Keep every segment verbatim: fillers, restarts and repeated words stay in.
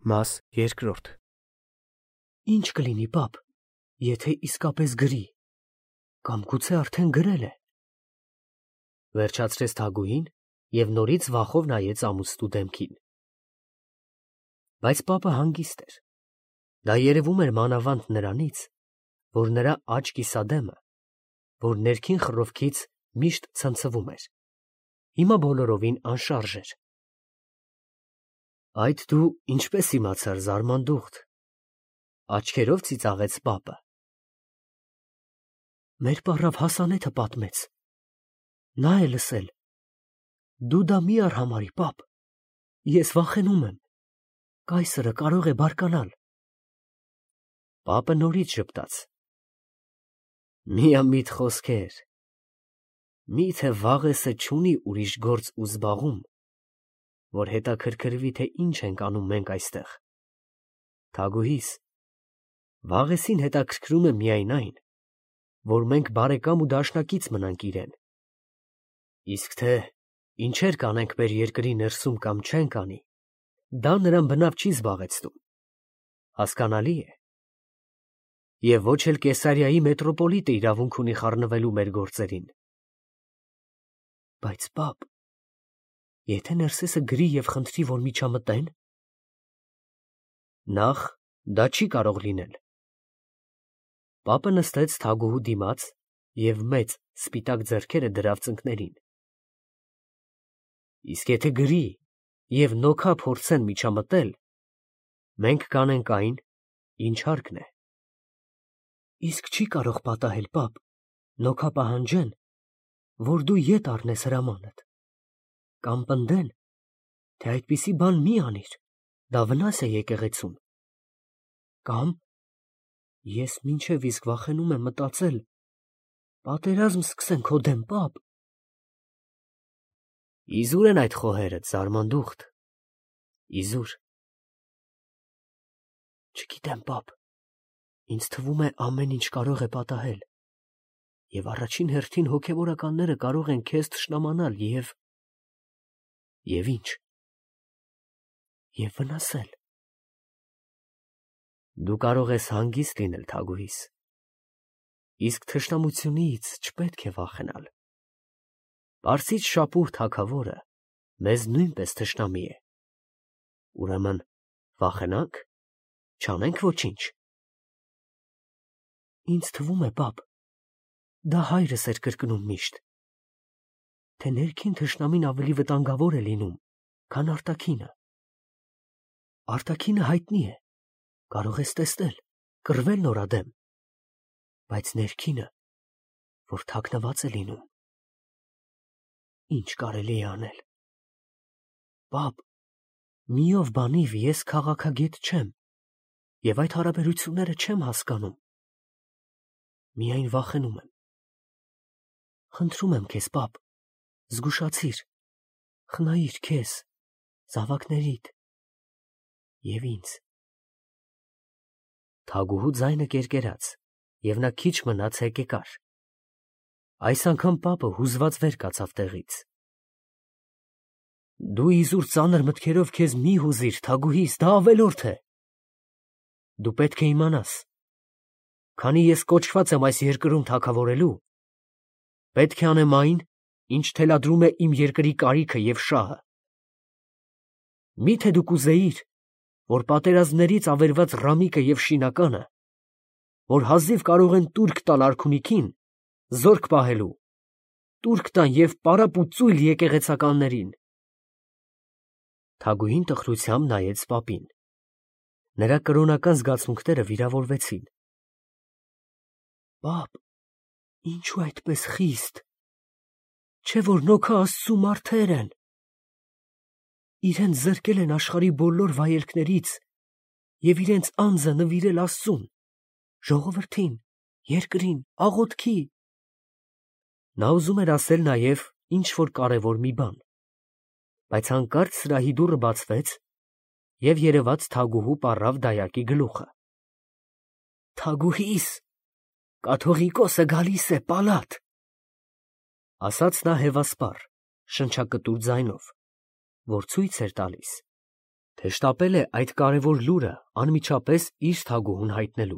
Մաս երկրորդ Ինչ կլինի, պապ, եթե իսկապես գրի, կամ գուցե արդեն գրել է, վերջացրեց Թագուհին և նորից վախով նայեց ամուսնու դեմքին։ Բայց պապը հանգիստ էր. դա երևում էր մանավանդ նրանից, որ նրա աջ կիսադեմը, որ ներքին խռովքից միշտ ցնցվում էր, հիմա բոլորովին անշարժ էր։ Այդ դու ինչպես իմացար, Զարմանդուխտ, աչքերով ծիծաղեց պապը։ Մեր պառավ Հասանեթը պատմեց, նա է լսել, դու դա մի արհամարհի, պապ, ես վախենում եմ, կայսրը կարող է բարկանալ։ Պապը նորից ժպտաց. միամիտ խոսքեր, միթե Վաղեսը չունի ուրիշ գործ ու զբաղում, որ հետաքրքրվի, թե ինչ ենք անում մենք այստեղ։ Թագուհիս, Վաղեսին հետաքրքրում է միայն այն, որ մենք բարեկամ ու դաշնակից մնանք իրեն, իսկ թե ինչեր կանենք մեր երկրի ներսում կամ չենք անի, դա նրան բնավ չի զբաղեցնում, հասկանալի է։ Եվ ոչ էլ Կեսարիայի մետրոպոլիտը իրավունք ունի խառնվելու մեր գործերին։ Բայց պապ, եթե Ներսեսը գրի և խնդրի, որ միջամտեն, նախ դա չի կարող լինել։ Պապը նստեց Թագուհու դիմաց և մեծ սպիտակ ձեռքերը դրավ ծնկներին։ Իսկ եթե գրի և նոքա փորձեն միջամտել, մենք կանենք այն, ինչ հարկն է։ Իսկ չի կարող պատահել, պապ, նոքա պահանջեն, որ դու ետ առնես հրամանդ, կամ պնդեն, թե այդպիսի բան մի անիր, դա վնաս է եկեղեցուն, կամ, ես մինչև իսկ վախենում եմ մտածել, պատերազմ սկսեն քո դեմ, պապ։ Իզուր են այդ խոհերդ, Զարմանդուխտ, իզուր։ Չգիտեմ, պապ, ինձ թվում է ամեն ինչ կարող է պատահել, և առաջին հերթին հոգևորականները կարող են քեզ թշնամանալ և… Եվ ի՞նչ։ Եվ վնասել։ Դու կարող ես հանգիստ լինել, Թագուհիս, իսկ թշնամությունից չպետք է վախենալ։ Պարսից շապուր թագավորը մեզ նույնպես թշնամի է։ Ուրեմն վախենա՞նք, չանենք ոչինչ։ Ինձ թվում է, պապ, դա հայրս էր կրկնում միշտ, թե ներքին թշնամին ավելի վտանգավոր է լինում, քան արտաքինը։ Արտաքինը հայտնի է, կարող ես տեսնել, կռվել նորադեմ, բայց ներքինը, որ թաքնված է լինում, ինչ կարելի է անել։ Պապ, միով բանիվ ես քաղաքագետ չեմ, և այդ հարաբերությունները չեմ հասկանում, միայն վախենում եմ։ Խնդրում եմ քեզ, պապ, զգուշացիր, խնայիր քեզ, զավակներիդ և ինձ։ Թագուհու ձայնը կերկերաց, և նա քիչ մնաց հեկեկար։ Այս անգամ պապը հուզված վեր կացավ տեղից։ Դու իզուր ծանր մտքերով քեզ մի հուզիր, Թագուհիս, դա ավելորդ է։ Դու պետք է իմանաս, քանի ես կոչված եմ այս երկրում թագավորելու, պետք է անեմ այն, ինչ թելադրում է իմ երկրի կարիքը և շահը։ Մի՞թե դու կուզեիր, որ պատերազմներից ավերված Ռամիկը և Շինականը, որ հազիվ կարող են տուրք տալ արքունիքին, զորք պահելու, տուրք տան և պարապ ու ծույլ եկեղեցականներին։ Թագուհին տխրությամբ նայեց պապին։ Նրա կրոնական զգացմունքները վիրավորվեցին։ Պապ, ինչու այդպես խիստ, չէ՞ որ նոքա Աստծու մարդեր են։ Իրենց զրկել են աշխարհի բոլոր վայելքներից և իրենց անձը նվիրել Աստծուն, ժողովրդին, երկրին, աղոթքի։ Նա ուզում էր ասել նաև ինչ֊որ կարևոր մի բան, բայց հանկարծ սրահի դուռը բացվեց, և երևաց Թագուհու պառավ դայակի գլուխը։ Թագուհիս, կաթողիկոսը գալիս է, պալատ, ասաց նա հևասպառ, շնչակտուր ձայնով, որ ցույց էր տալիս, թե շտապել է այդ կարևոր լուրը անմիջապես իր թագուհուն հայտնելու։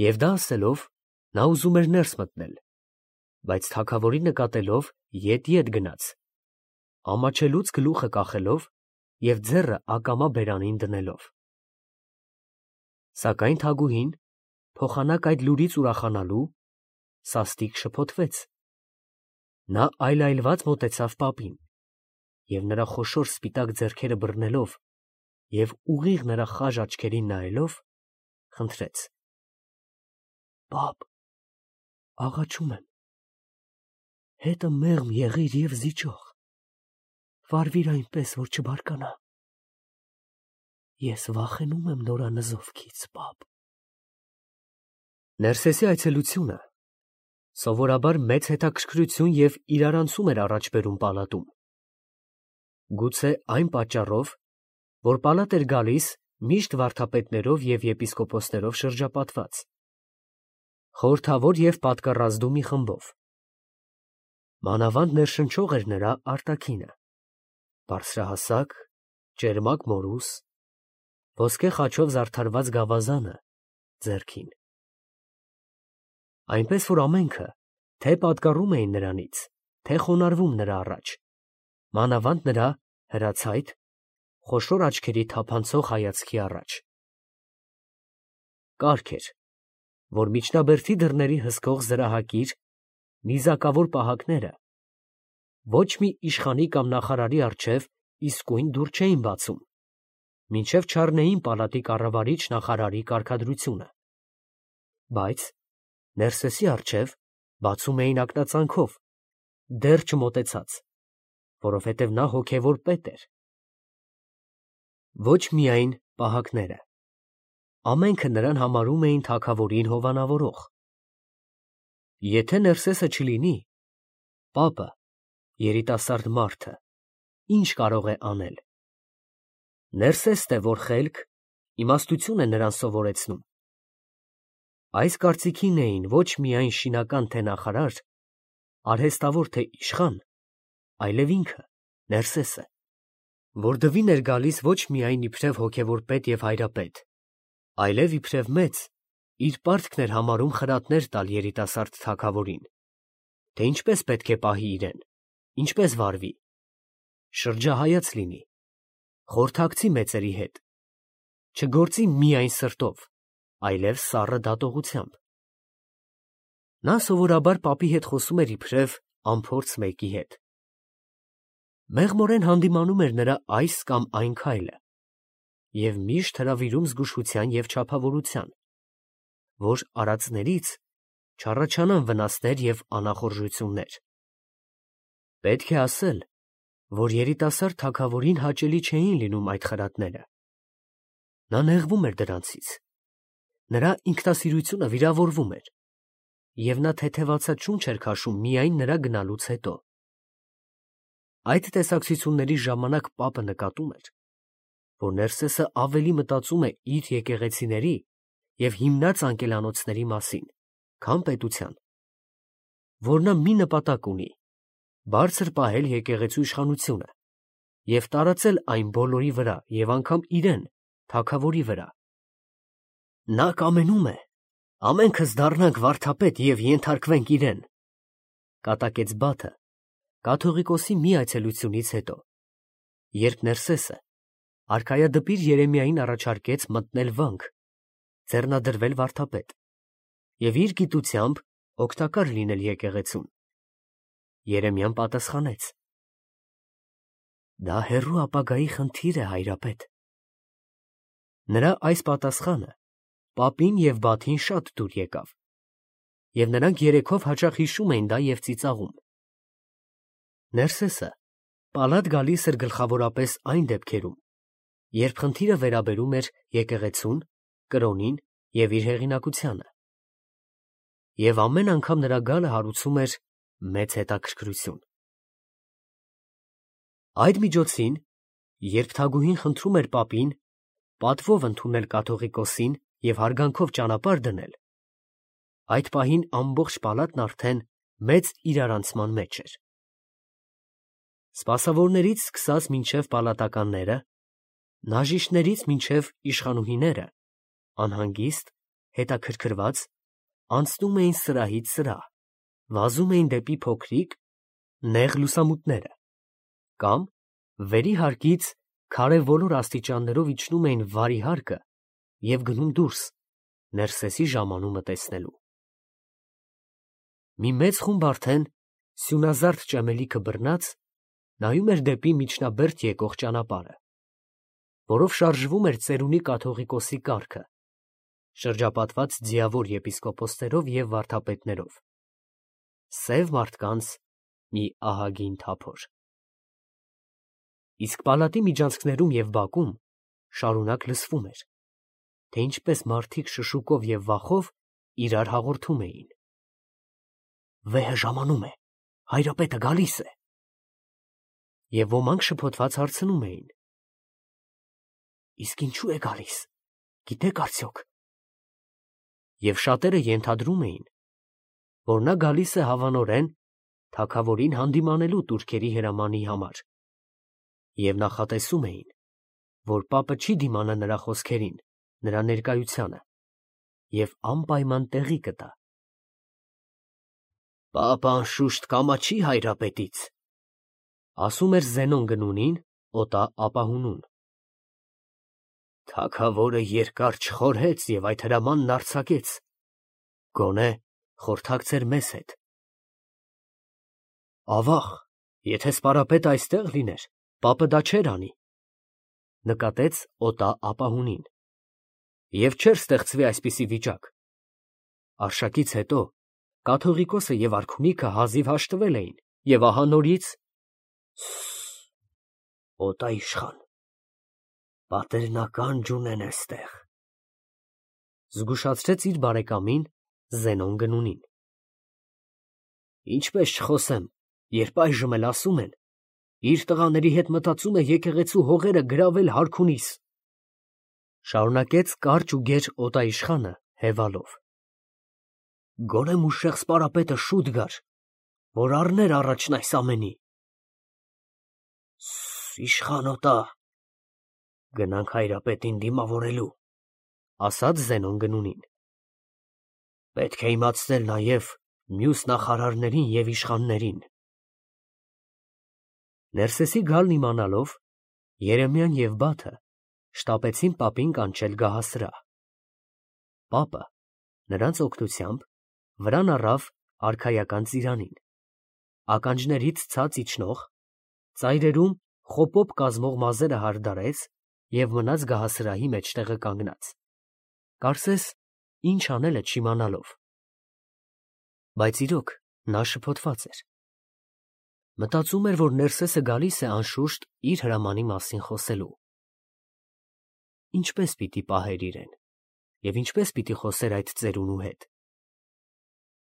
Եվ դա ասելով, նա ուզում էր ներս մտնել, բայց թագավորին նկատելով ետ-ետ գնաց, ամաչելուց գլուխը կախելով և ձեռը ակամա բերանին դնելով։ Սակայն թագուհին, փոխանակ այդ լուրից ուրախանալու, սաստիկ շփոթվեց։ Նա այլայլված մոտեցավ պապին և նրա խոշոր սպիտակ ձեռքերը բռնելով և ուղիղ նրա խաժ աչքերին նայելով, խնդրեց. «Պապ, աղաչում եմ, հետը մեղմ եղիր և զիջող, վարվիր այնպես, որ չբարկանա։ Ես վախենում եմ նորանզովքից, պապ»։ Ներսեսի այցելությունը սովորաբար մեծ հետաքրքրություն և իրարանցում էր առաջ բերում պալատում։ Գուցե այն պատճառով, որ պալատ էր գալիս միշտ վարդապետներով և եպիսկոպոսներով շրջապատված, խորհրդավոր և պատկառազդու մի խմբով։ Մանավանդ ներշնչող էր նրա արտաքինը, բարձրահասակ, ճերմակ մորուս, ոսկե խաչով զարդարված գավազանը ձեռքին։ Այնպես որ ամենքը թե պատկառում էին նրանից, թե խոնարհվում նրա առաջ, մանավանդ նրա հրացայտ, խոշոր աչքերի թափանցող հայացքի առաջ։ Կարգ էր, որ միջնաբերդի դռների հսկող զրահակիր, նիզակավոր պահակները ոչ մի իշխանի կամ նախարարի առջև իսկույն դուռ չէին բացում, մինչև չառնեին պալատի կառավարիչ նախարարի կարգադրությունը, բայց Ներսեսի առջև բացում էին ակնածանքով, դեռ չմոտեցած, որովհետև նա հոգևոր պետ էր։ Ոչ միայն պահակները, ամենքը նրան համարում էին թագավորին հովանավորող։ Եթե Ներսեսը չլինի, պապը, երիտասարդ մարդը, ի՞նչ կարող է անել։ Ներսեսն է, որ խելք, իմաստություն է նրան սովորեցնում։ Այս կարծիքին էին ոչ միայն շինական թե նախարար, արհեստավոր թե իշխան, այլև ինքը, Ներսեսը, որ դվին էր գալիս ոչ միայն իբրև հոգևոր պետ և հայրապետ, այլև իբրև մեծ, իր պարտքն էր համարում խրատներ տալ երիտասարդ թագավորին, թե ինչպես պետք է պահի իրեն, ինչպես վարվի, շրջահայաց լինի, խորհրդակցի մեծերի հետ, չգործի միայն սրտով, այլև սառը դատողությամբ։ Նա սովորաբար պապի հետ խոսում էր իբրև անփորձ մեկի հետ։ Մեղմորեն հանդիմանում էր նրա այս կամ այն քայլը և միշտ հրավիրում զգուշության և չափավորության, որ արածներից չառաջանան վնասներ և անախորժություններ։ Պետք է ասել, որ երիտասարդ թագավորին հաճելի չէին լինում այդ խրատները։ Նա նեղվում էր դրանցից, նրա ինքնասիրությունը վիրավորվում էր, և նա թեթևացած շունչ էր քաշում միայն նրա գնալուց հետո։ Այդ տեսակցությունների ժամանակ պապը նկատում էր, որ Ներսեսը ավելի մտածում է իր եկեղեցիների և հիմնած անկելանոցների մասին, քան պետության, որ նա մի նպատակ ունի՝ բարձր պահել եկեղեցու իշխանությունը և տարածել այն բոլորի վրա և անգամ իրեն, թագավորի վրա։ Նա կամենում է ամենքս դառնանք վարդապետ և ենթարկվենք իրեն, կատակեց Բաթը կաթողիկոսի մի այցելությունից հետո, երբ Ներսեսը արքայադպիր Երեմիային առաջարկեց մտնել վանք, ձեռնադրվել վարդապետ և իր գիտությամբ օգտակար լինել եկեղեցուն։ Երեմիան պատասխանեց. Դա հեռու ապագայի խնդիր է, հայրապետ։ Նրա այս պատասխանը պապին և Բաթին շատ դուր եկավ, և նրանք երեքով հաճախ հիշում էին դա և ծիծաղում։ Ներսեսը պալատ գալիս էր գլխավորապես այն դեպքերում, երբ խնդիրը վերաբերում էր եկեղեցուն, կրոնին և իր հեղինակությանը, և ամեն անգամ նրա գալը հարուցում էր մեծ հետաքրքրություն։ Այդ միջոցին, երբ թագուհին խնդրում էր պապին պատվով ընդունել կաթողիկոսին և հարգանքով ճանապարհ դնել, այդ պահին ամբողջ պալատն արդեն մեծ իրարանցման մեջ էր։ Սպասավորներից սկսած մինչև պալատականները, Նաժիշտներից մինչև իշխանուհիները, անհանգիստ, հետաքրքրված, անցնում էին սրահից սրահ, վազում էին դեպի փոքրիկ, նեղ լուսամուտները, կամ վերի հարկից քարե ոլոր աստիճաններով իջնում էին վարի հարկը և գնում դուրս, Ներսեսի ժամանումը տեսնելու։ Մի մեծ խումբ արդեն, սյունազարդ ճեմելիքը բռնած, նայում էր դեպի միջնաբերդ եկող ճանապարհը, որով շարժվում էր ծերունի կաթողիկոսի կառքը, շրջապատված ձիավոր եպիսկոպոսներով և վարդապետներով, սև մարդկանց մի ահագին թափոր։ Իսկ պալատի միջանցքներում և բակում շարունակ լսվում էր, թե ինչպես մարդիկ շշուկով և վախով իրար հաղորդում էին. «Վեհը ժամանում է, հայրապետը գալիս է»։ Եվ ոմանք շփոթված հարցնում էին. «Իսկ ինչու է գալիս, գիտեք արդյոք»։ Եվ շատերը ենթադրում էին, որ նա գալիս է հավանորեն թագավորին հանդիմանելու տուրքերի հրամանի համար, և նախատեսում էին, որ պապը չի դիմանա նրա խոսքերին, նրա ներկայությանը, և անպայման տեղի կտա։ «Պապը անշուշտ կամաչի հայրապետից», ասում էր Զենոն Գնունին, օտա ապահունուն։ «Թագավորը երկար չխորհեց և այդ հրամանն արձակեց, գոնե խորհրդակցեր մեզ հետ»։ «Ավաղ, եթե սպարապետը այստեղ լիներ, պապը դա չէր անի», նկատեց օտա ապահունին, «և չէր ստեղծվի այսպիսի վիճակ։ Արշակից հետո կաթողիկոսը և արքունիքը հազիվ հաշտվել էին, և ահա նորից…»։ «Սսս, օտա իշխան, պատերն ականջ ունեն էստեղ», զգուշացրեց իր բարեկամին Զենոն Գնունին։ «Ինչպես չխոսեմ, երբ այժմ էլ ասում են, իր տղաների հետ մտածում է եկեղեցու հողերը գրավել հարքունիս», շարունակեց կարճ ու գեր օտա իշխանը հևալով։ «Գոնե մուշեղ սպարապետը շուտ գար, որ առներ առաջն այս ամենի»։ «Սսս, իշխան օտա, գնանք հայրապետին դիմավորելու», ասաց Զենոն Գնունին։ «Պետք է իմացնել նաև մյուս նախարարներին և իշխաններին»։ Ներսեսի գալն իմանալով, Երեմիան և Բաթը շտապեցին պապին կանչել գահասրահ։ Պապը նրանց օգնությամբ վրան առավ արքայական ծիրանին, ականջներից ցած իջնող, ծայրերում խոպոբ կազմող մազերը հարդարեց և մնաց գահասրահի մեջտեղը կանգնած, կարծես ինչ անել է չիմանալով։ Բայց իրոք նա շփոթված էր։ Մտածում էր, որ Ներսեսը գալիս է անշուշտ իր հրամանի մասին խոսելու։ Ինչպե՞ս պիտի պահեր իրեն, և ինչպե՞ս պիտի խոսեր այդ ծերունու հետ։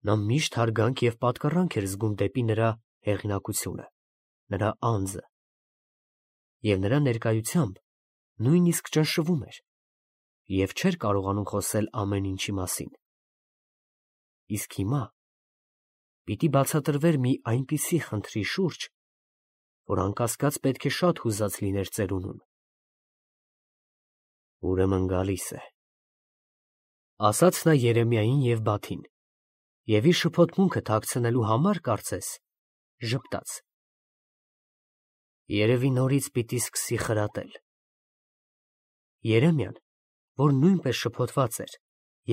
Նա միշտ հարգանք և պատկառանք էր զգում դեպի նրա հեղինակությունը, նրա անձը, և նրա ներկայությամբ նույնիսկ ճնշվում էր և չէր կարողանում խոսել ամեն ինչի մասին։ Իսկ հիմա պիտի բացատրվեր մի այնպիսի խնդրի շուրջ, որ անկասկած պետք է շատ հուզած լիներ ծերունուն։ «Ուրեմն գալիս է», ասաց նա Երեմիային և Բաթին, և իր շփոթմունքը թաքցնելու համար, կարծես, ժպտաց. «Երևի նորից պիտի սկսի խրատել»։ Երեմիան, որ նույնպես շփոթված էր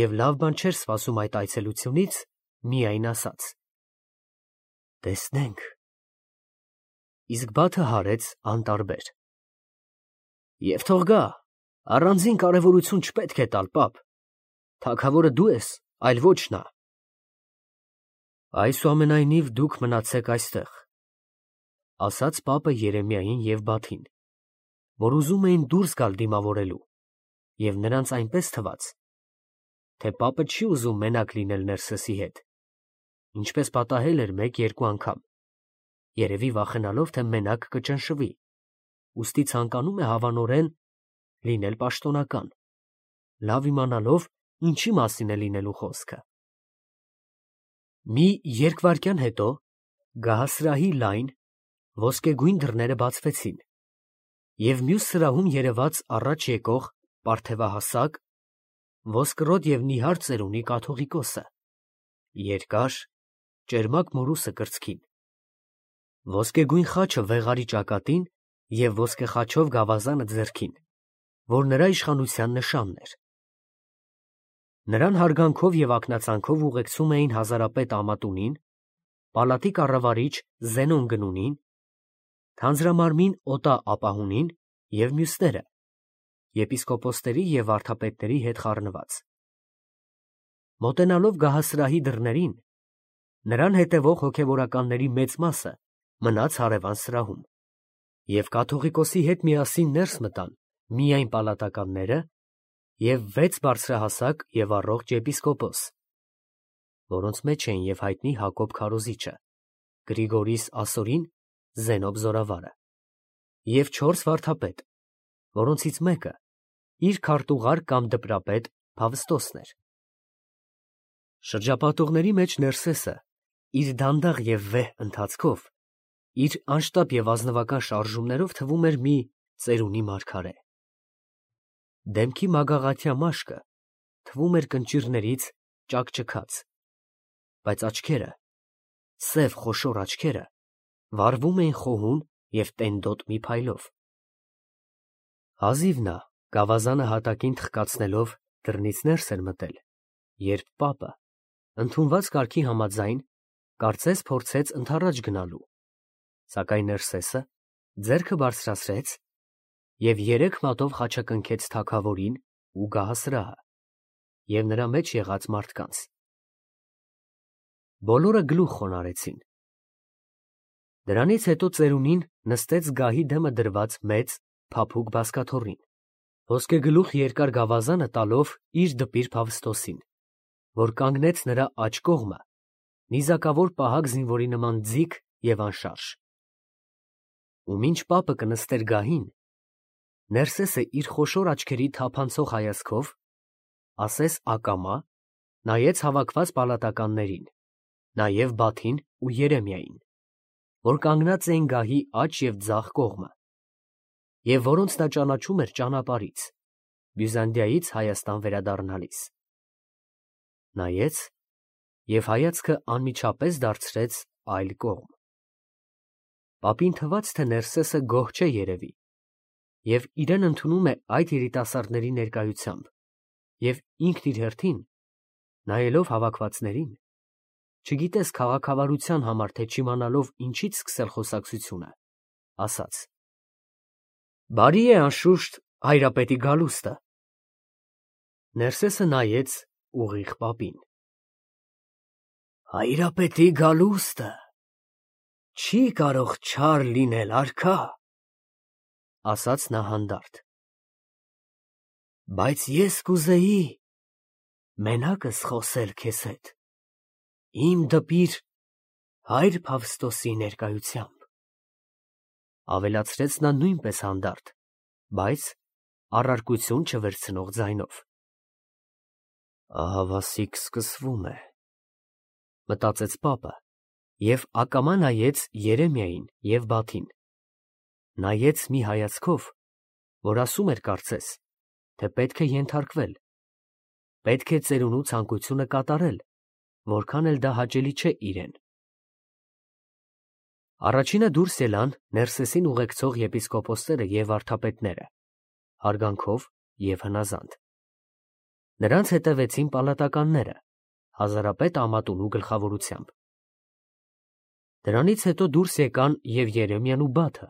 և լավ բան չէր սպասում այդ այցելությունից, միայն ասաց. «Տեսնենք»։ Իսկ Բաթը հարեց անտարբեր. «Եվ թող գա, առանձին կարևորություն չպետք է տալ, պապ. թագավորը դու ես, այլ ոչ նա»։ «Այսուամենայնիվ դուք մնացեք այստեղ», ասաց պապը Երեմիային և Բաթին, որ ուզում էին դուրս գալ դիմավորելու, և նրանց այնպես թվաց, թե պապը չի ուզում մենակ լինել Ներսեսի հետ, ինչպես պատահել էր մեկ֊երկու անգամ, երևի վախենալով, թե մենակ կճնշվի, ուստի ցանկանում է հավանորեն լինել պաշտոնական, լավ իմանալով ինչի մասին է լինելու խոսքը։ Մի երկվայրկյան հետո գահասրահի լայն, ոսկեգույն դռները բացվեցին, և մյուս սրահում երևաց առաջ եկող պարթևահասակ, ոսկրոտ և նիհար ծերունի կաթողիկոսը, երկար, ճերմակ մորուսը կրծքին, ոսկեգույն խաչը վեղարի ճակատին և ոսկե խաչով գավազանը ձեռքին, որ նրա իշխանության նշանն էր։ Նրան հարգանքով և ակնածանքով ուղեկցում էին հազարապետ Ամատունին, պալատի կառավարիչ Զենոն Գնունին, թանձրամարմին Օտա ապահունին և մյուսները, եպիսկոպոսների և վարդապետների հետ խառնված։ Մոտենալով գահասրահի դռներին, նրան հետևող հոգևորականների մեծ մասը մնաց հարևան սրահում, և կաթողիկոսի հետ միասին ներս մտան միայն պալատականները և վեց բարձրահասակ և առողջ եպիսկոպոս, որոնց մեջ էին և հայտնի Հակոբ քարոզիչը, Գրիգորիս Ասորին, Զենոբ Զորավարը, և չորս վարդապետ, որոնցից մեկը իր քարտուղար կամ դպրապետ Փավստոսն էր։ Շրջապատողների մեջ Ներսեսը իր դանդաղ և վեհ ընթացքով, իր անշտապ և ազնվական շարժումներով թվում էր մի ծերունի մարգարե։ Դեմքի մագաղաթյա մաշկը թվում էր կնճիռներից ճաքճքած, բայց աչքերը, սև խոշոր աչքերը, վառվում էին խոհուն և տենդոտ մի փայլով։ Հազիվ նա գավազանը հատակին թխկացնելով դռնից ներս էր մտել, երբ պապը, ընդունված կարգի համաձայն, կարծես փորձեց ընդառաջ գնալու, սակայն Ներսեսը ձեռքը բարձրացրեց և երեք մատով խաչակնքեց թագավորին ու գահասրահը և նրա մեջ եղած մարդկանց։ Բոլորը գլուխ խոնարհեցին։ Դրանից հետո ծերունին նստեց գահի դեմը դրված մեծ, փափուկ բազկաթոռին, ոսկեգլուխ երկար գավազանը տալով իր դպիր Փավստոսին, որ կանգնեց նրա աջ կողմը, նիզակավոր պահակ զինվորի նման ձիգ և անշարժ։ Ու մինչ պապը կնստեր գահին, Ներսեսը իր խոշոր աչքերի թափանցող հայացքով, ասես ակամա, նայեց հավաքված պալատականներին, նաև Բաթին ու Երեմիային, որ կանգնած էին գահի աջ և ձախ կողմը, և որոնց նա ճանաչում էր ճանապարհից, Բյուզանդիայից Հայաստան վերադառնալիս։ Նայեց և հայացքը անմիջապես դարձրեց այլ կողմ։ Պապին թվաց, թե Ներսեսը գոհ չէ երևի և իրեն ընդունում է այդ երիտասարդների ներկայությամբ, և ինքն իր հերթին, նայելով հավաքվածներին, չգիտես քաղաքավարության համար, թե չիմանալով ինչից սկսել խոսակցությունը, ասաց. «Բարի է, անշուշտ, Հայրապետի գալուստը»։ Ներսեսը նայեց ուղիղ պապին։ «Հայրապետի գալուստը չի կարող չար լինել, արքա, ֊ ասաց նա հանդարտ, ֊ բայց ես կուզեի մենակս խոսել քեզ հետ, իմ դպիր հայր Փավստոսի ներկայությամբ, ֊ ավելացրեց նա նույնպես հանդարտ, բայց առարկություն չվերցնող ձայնով։ «Ահավասիկ սկսվում է, ֊ մտածեց պապը և ակամա նայեց Երեմիային և Բաթին, նայեց մի հայացքով, որ ասում էր կարծես, թե պետք է ենթարկվել, պետք է ծերունու ցանկությունը կատարել, որքան էլ դա հաճելի չէ իրեն»։ Առաջինը դուրս ելան Ներսեսին ուղեկցող եպիսկոպոսները և վարդապետները, հարգանքով և հնազանդ։ Նրանց հետևեցին պալատականները, հազարապետ Ամատունու գլխավորությամբ։ Դրանից հետո դուրս եկան և Երեմիան ու Բաթը։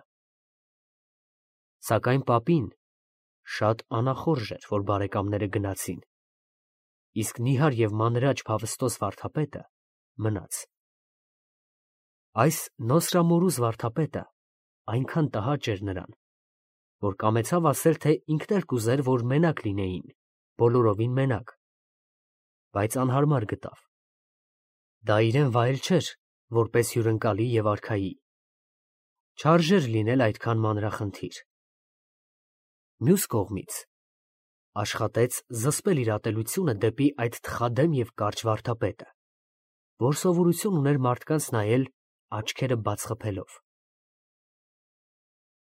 Սակայն պապին շատ անախորժ էր, որ բարեկամները գնացին, իսկ նիհար և մանրաճ Փավստոս վարդապետը մնաց։ Այս Նոսրամորուզ վարդապետը այնքան տհաճ էր նրան, որ կամեցավ ասել, թե ինքն էլ կուզեր, որ մենակ լինեին, բոլորովին մենակ, բայց անհարմար գտավ։ Դա իրան վայել չէր, որպես հյուրընկալի և արքայի, չարժեր լինել այդքան մանրախնդիր։ Մյուս կողմից, աշխատեց զսպել իր ատելությունը դեպի այդ թխադեմ և կարճ վարդապետը, որ սովորություն ուներ մարդկանց նայել աչքերը բաց խփելով։